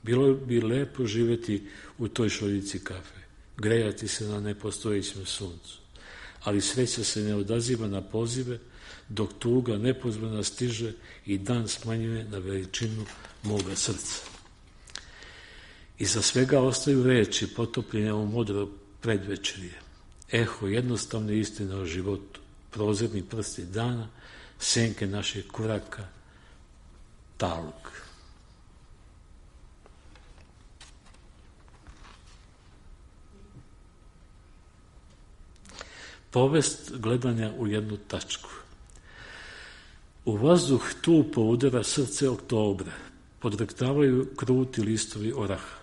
Bilo bi lepo živjeti u toj šoljici kafe, grejati se na nepostojećem suncu, ali sreća se ne odaziva na pozive, dok tuga nepozvana stiže i dan smanjuje na veličinu moga srca. Iza svega ostaju reči potopljene u modro predvečerje, eho jednostavne istine o životu, prozirni prsti dana, senke naših koraka, talog. Povest gledanja u jednu tačku. U vazduh tupo udara srce oktobra, podrektavaju kruti listovi oraha.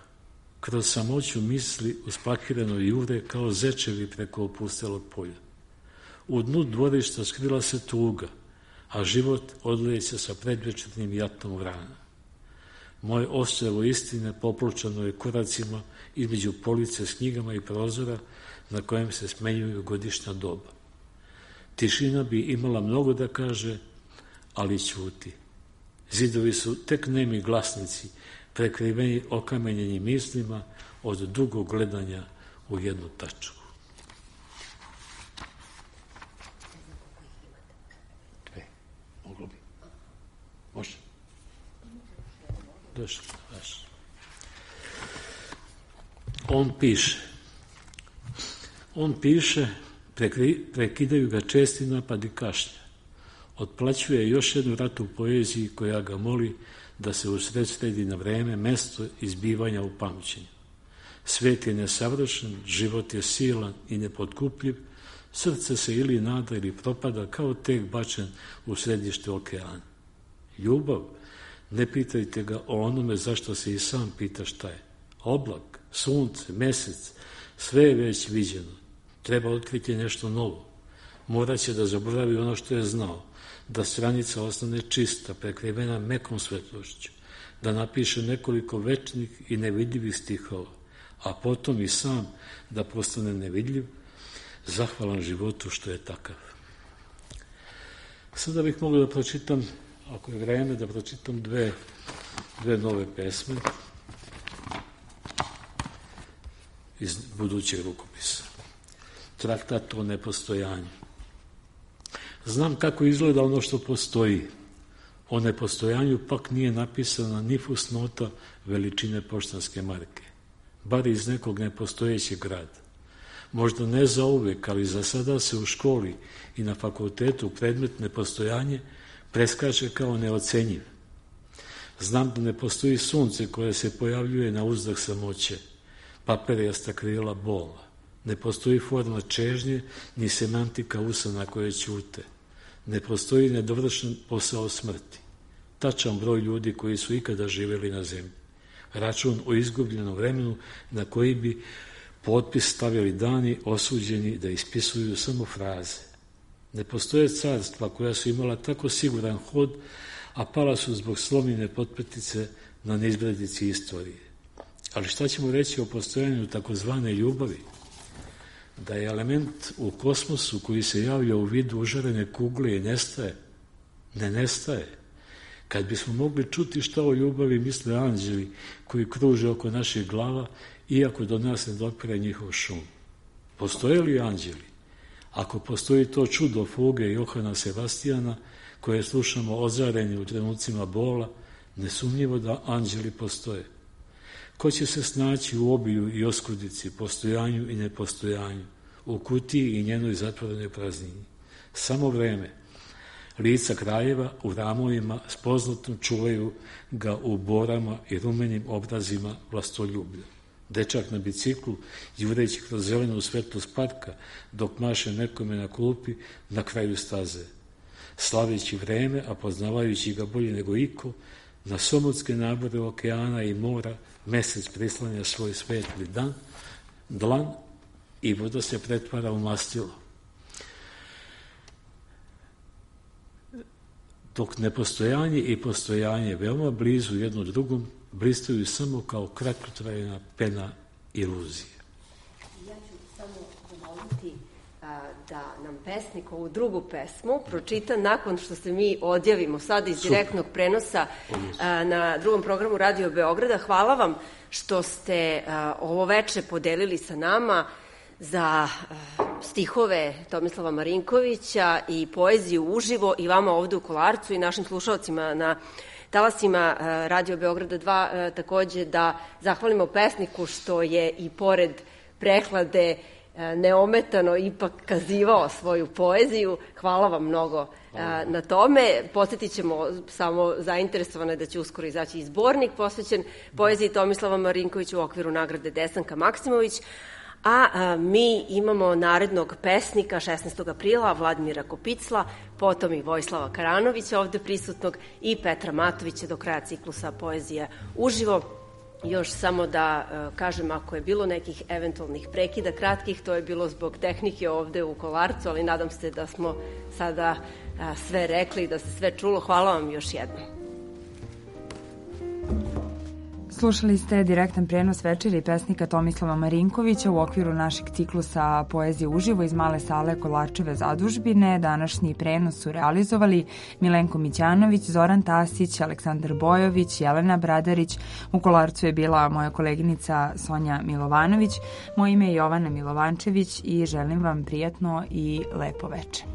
Kroz samoću misli uspakireno jure kao zečevi preko opustelog polja. U dnu dvorišta skrila se tuga, a život odleće sa predvečernim jatom vrana. Moje ostrvo istine popločano je koracima između police s knjigama i prozora na kojem se smenjuju godišnja doba. Tišina bi imala mnogo da kaže, ali ćuti. Zidovi su tek nemi glasnici, prekriveni okamenjenim mislima od dugog gledanja u jednu tačku. Dve. Moglo bi. Može. Došli. On piše. On piše, prekri, prekidaju ga česti napadi kašlja. Otplaćuje još jednu ratu u poeziji koja ga moli da se usredsredi na vreme, mesto izbivanja u pamćenju. Svet je nesavršen, život je silan i nepotkupljiv, srce se ili nada ili propada kao tek bačen u središte okeana. Ljubav, ne pitajte ga o onome zašto se i sam pita šta je. Oblak, sunce, mesec, sve je već viđeno. Treba otkriti nešto novo. Moraće da zaboravi ono što je znao, da stranica ostane čista, prekrivena mekom svetlošću, da napiše nekoliko večnih i nevidljivih stihova, a potom i sam da postane nevidljiv, zahvalan životu što je takav. Sada bih mogao da pročitam, ako je vreme, da pročitam dve, dve nove pesme iz budućeg rukopisa. Traktat o nepostojanju. Znam kako izgleda ono što postoji. O nepostojanju pak nije napisana ni fusnota veličine poštanske marke, bar iz nekog nepostojećeg grada. Možda ne za uvek, ali za sada se u školi i na fakultetu predmet nepostojanje preskače kao neocenjiv. Znam da ne postoji sunce koje se pojavljuje na uzdah samoće, paperijasta krila bola. Ne postoji forma čežnje, ni semantika usana koje ćute. Ne postoji nedovršen posao smrti. Tačan broj ljudi koji su ikada živjeli na zemlji. Račun o izgubljenom vremenu na koji bi potpis stavili dani osuđeni da ispisuju samo fraze. Ne postoje carstva koja su imala tako siguran hod, a pala su zbog slomljene potpetice na neizbredici istorije. Ali šta ćemo reći o postojanju takozvane ljubavi? Da je element u kosmosu koji se javlja u vidu užarene kugle i nestaje, ne nestaje. Kad bismo mogli čuti šta o ljubavi misle anđeli koji kruže oko naših glava, iako do nas ne dopire njihov šum. Postoje li anđeli? Ako postoji to čudo fuge Johana Sebastijana, koje slušamo ozareni u trenucima bola, nesumnjivo da anđeli postoje. Ko će se snaći u obiju i oskudici, postojanju i nepostojanju, u kutiji i njenoj zatvorenoj praznini? Samo vreme. Lica kraljeva u ramovima spoznatom čuvaju ga u borama i rumenim obrazima vlastoljublja. Dečak na biciklu, jureći kroz zelenu svetlost parka, dok maše nekome na klupi na kraju staze. Slaveći vreme, a poznavajući ga bolje nego iko, na somotske nabore okeana i mora mesec prislanja svoj svetli dan, dlan i voda se pretvara u mastilo. Dok nepostojanje i postojanje veoma blizu jedno drugom, blistaju samo kao kratkotrajna pena iluzije. Ja ću samo zamoliti da nam pesnik ovu drugu pesmu pročita nakon što se mi odjavimo sad iz direktnog prenosa na drugom programu Radio Beograda. Hvala vam što ste ovo veče podelili sa nama za stihove Tomislava Marinkovića i poeziju uživo i vama ovde u Kolarcu i našim slušalcima na talasima Radio Beograda dva, takođe da zahvalimo pesniku što je i pored prehlade neometano ipak kazivao svoju poeziju. Hvala vam mnogo na tome. Posjetit ćemo samo zainteresovane da će uskoro izaći i zbornik posvećen poeziji Tomislava Marinkovića u okviru nagrade Desanka Maksimović. A mi imamo narednog pesnika šesnaestog aprila, Vladimira Kopicla, potom i Vojislava Karanovića ovde prisutnog i Petra Matovića do kraja ciklusa poezija uživo. Još samo da kažem, ako je bilo nekih eventualnih prekida kratkih, to je bilo zbog tehnike ovde u Kolarcu, ali nadam se da smo sada sve rekli, da se sve čulo. Hvala vam još jednom. Slušali ste direktan prenos večeri pesnika Tomislava Marinkovića u okviru našeg ciklusa Poezije uživo iz male sale Kolarčeve zadužbine. Današnji prenos su realizovali Milenko Mićanović, Zoran Tasić, Aleksandar Bojović, Jelena Bradarić. U Kolarcu je bila moja koleginica Sonja Milovanović. Moje ime je Jovana Milovančević i želim vam prijatno i lepo večer.